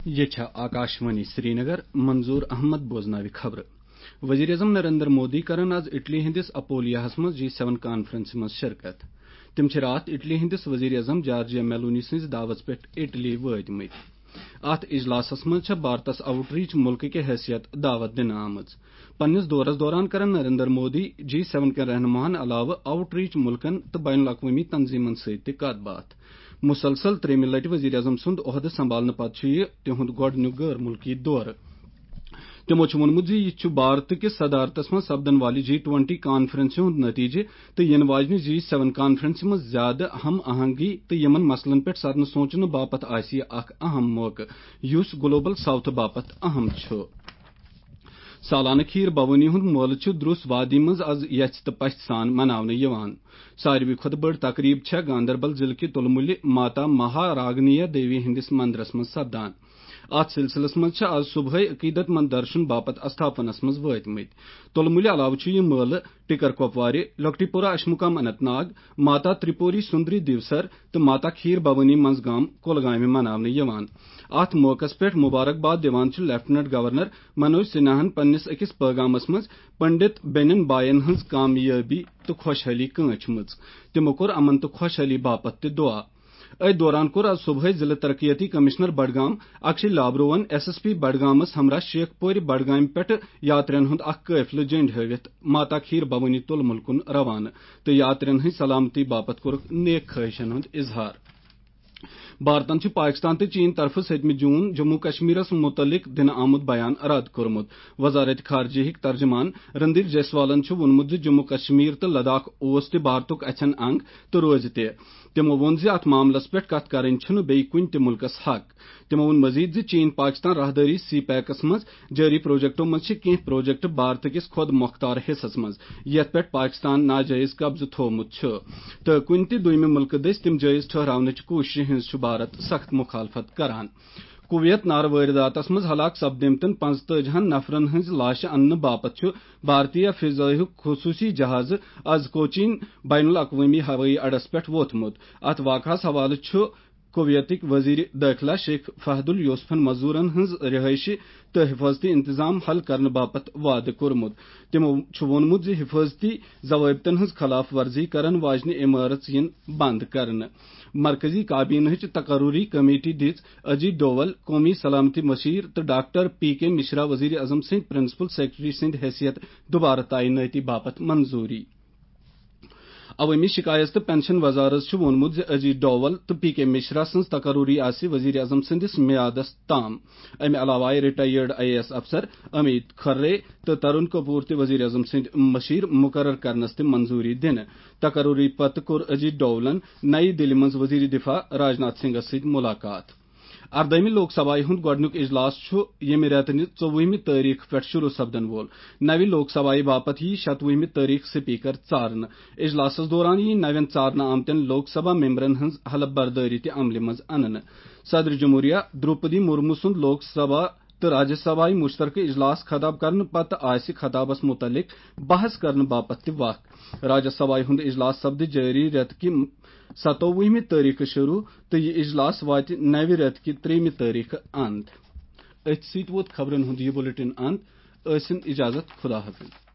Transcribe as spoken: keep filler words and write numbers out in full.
یہِ چھےٚ آکاشوانی سرینگر، منظور احمد بوزناوِ خبرٕ۔ وزیر اعظم نریندر مودی کرن آز اٹلی ہٕنٛدِس اپولیاہس منٛز جی سیون کانفرنسہِ منٛز شرکت۔ تِم چھِ راتھ اٹلی ہٕنٛدِس وزیر اعظم جارجیا میلونی سٕنٛزِ دعوت پٮ۪ٹھ اٹلی وٲتمٕتۍ۔ اتھ اجلاسس منٛز چھےٚ بھارتس آؤٹ ریچ مُلکہٕ کہِ حیثیت دعوت دِنہٕ آمٕژ۔ پننِس دورس دوران کرن نریندر مودی جی سیون کٮ۪ن رہنماہن علاوٕ آؤٹ ریچ مُلکن تہٕ بین الاقوٲمی تنظیمن سۭتۍ تہِ کتھ باتھ۔ مسلسل ترٛیٚیمہِ لٹہِ وزیر اعظم سُنٛد عہدٕ سنبھالنہٕ پتہٕ چھُ یہِ تِہُنٛد گۄڈٕنیُک غٲر مُلکی دورٕ۔ تِمو چھُ ووٚنمُت زِ یہِ چھُ بھارت کِس صدارتس منٛز سپدن والہِ جی ٹوئنٹی کانفرنسہِ ہُنٛد نتیجہٕ تہٕ یِنہٕ واجنہِ جی سیون کانفرنسہِ منٛز زیادٕ ہم آہنگی تہٕ یِمن مسلن پٮ۪ٹھ سرنہٕ سونچنہٕ باپتھ آسہِ یہِ اکھ اہم موقعہٕ، یُس گلوبل ساؤتھ باپتھ اہم چھُ۔ سالانہٕ کھیٖر بھوٲنی ہُنٛد مٲلہٕ چھُ دروس وادی منٛز از یژھِ تہٕ پژھِ سان مناونہٕ یِوان۔ ساروی کھۄتہٕ بٔڑ تقریب چھےٚ گاندربل ضلعہٕ کہِ تُلمُلہِ ماتا مہا راگنیہ دیوی ہٕنٛدِس مندرس منٛز سپدان۔ اتھ سلسلس منٛز چھِ از صبحٲے عقیدت مند درشن باپتھ استھاپنس منٛز وٲتمٕتۍ۔ تُلمُلہِ علاوٕ چھُ یہِ مٲلہٕ ٹکر کپوارِ، لۄکٹی پورہ اشمُقام اننت ناگ، ماتا ترپوری سُندری دیوسر تہٕ ماتا کھیٖر بھوٲنی منٛز گام کۄلگامہِ مناونہٕ یِوان۔ اتھ موقعس پٮ۪ٹھ مبارکباد دِوان چھُ لیفٹیننٹ گورنر منوج سنہاہن پننِس أکِس پٲغامس منٛز پنڈت بیٚنٮ۪ن باین ہٕنٛز کامیٲبی تہٕ خۄشحٲلی کٲنٛچھمٕژ۔ تِمو کوٚر امن تہٕ خۄشحٲلی باپتھ تہِ دعا۔ أتھۍ دوران کوٚر از صبحٲے ضلع ترقیتی کمشنر بڈگام اکشے لابروون ایس ایس پی بڈگامس ہمراہ شیخ پورِ بڈگامہِ پٮ۪ٹھٕ یاترین ہُنٛد اکھ قٲفلہٕ جنڈ ہٲوِتھ ماتا کھیٖر بھوٲنی تُلمُل کُن روانہٕ تہٕ یاترین ہٕنٛز سلامتی باپتھ کوٚرُکھ نیک خواہشن ہُنٛد اظہار۔ بھارتن چھُ پاکستان تہٕ چین طرفہٕ ستمہِ جون جموں کشمیرس متعلق دِنہٕ آمُت بیان رد کوٚرمُت۔ وزارت خارجہ ہٕکۍ ترجمان رندیر جیسوالن چھُ ووٚنمُت زِ جموں کشمیر تہٕ لداخ اوس تہِ بھارتُک اَژھٮ۪ن انگ تہٕ روزِ تہِ۔ تِمو ووٚن زِ اتھ معاملس پٮ۪ٹھ کتھ کرٕنۍ چھُنہٕ بیٚیہِ کُنہِ تہِ مُلکس حق۔ تِمو ووٚن مزید زِ چین پاکستان راہدٲری سی پیکس منٛز جٲری پروجیکٹو منٛز چھِ کینٛہہ پروجیکٹ بھارت کِس خۄد مۄختار حصس منٛز، یتھ پٮ۪ٹھ پاکستان ناجٲیز قبضہٕ تھوومُت چھُ، تہٕ کُنہِ تہِ دوٚیمہِ مُلکہٕ دٔسۍ تِم جٲیز ٹھہراونٕچ کوٗششہِ ہٕنٛز چھُ بھارت سخت مخالفت کران۔ کویت نارٕ وٲرِداتس منٛز ہلاک سپدیمتٮ۪ن پانٛژتٲجی ہن نفرن ہٕنٛزِ لاشہِ اننہٕ باپتھ چھُ بھارتیہ فضائیہُک خصوٗصی جہازٕ از کوچین بین الاقوٲمی ہوٲیی اڈس پٮ۪ٹھ ووتمُت۔ اتھ واقعس حوالہٕ چھُ کویتٕکۍ وزیر دٲخلہ شیخ فہد الیوسفن مزدورن ہٕنٛز رہٲیشہِ تہٕ حفاظتی انتظام حل کرنہٕ باپتھ وعدٕ کوٚرمُت۔ تِمو چھُ ووٚنمُت زِ حفاظتی ضوابطن ہٕنٛز خلاف ورزی کرن واجنہِ عمارژ یِن بند کرنہٕ۔ مرکزی کابینہٕچ تقرری کمیٹی دِژ اجیت ڈوول، قومی سلامتی مشیر، تہٕ ڈاکٹر پی کے مشرا وزیر اعظم سٕنٛدۍ پرنسپل سیکرٹری سٕنٛدۍ حیثیت دوبارٕ تعینٲتی باپتھ منظوری۔ عوٲمی شکایت تہٕ پنشن وزارت چھُ ووٚنمُت زِ اجیت ڈوول تہٕ پی کے مشرا سٕنٛز تقرری آسہِ وزیر اعظم سٕنٛدِس میعادس تام۔ امہِ علاوٕ آیہِ ریٹائرڈ آئی اے ایس افسر امیت کھرے تہٕ ترون کپور تہِ وزیر اعظم سٕنٛدۍ مشیر مقرر کرنس تہِ منظوری دِنہٕ۔ تقرری پتہٕ کوٚر اجیت ڈوولن نئی دِلہِ منٛز وزیر دفاع راجناتھ سنگھس سۭتۍ ملاقات۔ اردٲہمہِ لوک سبھایہِ ہُنٛد گۄڈٕنیُک اجلاس چھُ ییٚمہِ رٮ۪تہٕ نہِ ژوٚوُہمہِ تٲریخ پٮ۪ٹھ شروع سپدن وول۔ نوِ لوک سبھایہِ باپتھ یِیہِ شتوُہمہِ تٲریخ سپیکر ژارنہٕ۔ اجلاسس دوران یِیہِ نوٮ۪ن ژارنہٕ آمتٮ۪ن لوک سبھا ممبرن ہٕنٛز حلف بردٲری تہِ عملہِ منٛز اننہٕ۔ صدر جمہوریہ درٛوپدی مرمو سُنٛد لوک سبھا تہٕ راجیہ سبھایہِ مشترکہٕ اجلاس خطاب کرنہٕ پتہٕ آسہِ خطابس متعلق بحث کرنہٕ باپتھ تہِ وقت۔ راجیہ سبھایہِ ہُنٛد اجلاس سپدِ جٲری رٮ۪تہٕ کہِ ستووُہمہِ تٲریخہٕ شروع تہٕ یہِ اجلاس واتہِ نوِ رٮ۪تہٕ کہِ ترٛیٚیمہِ تٲریخہٕ اند۔ أتھۍ سۭتۍ ووت خبرن ہُنٛد یہِ بلیٹن اند۔ ٲسِن اجازت، خدا حافظ۔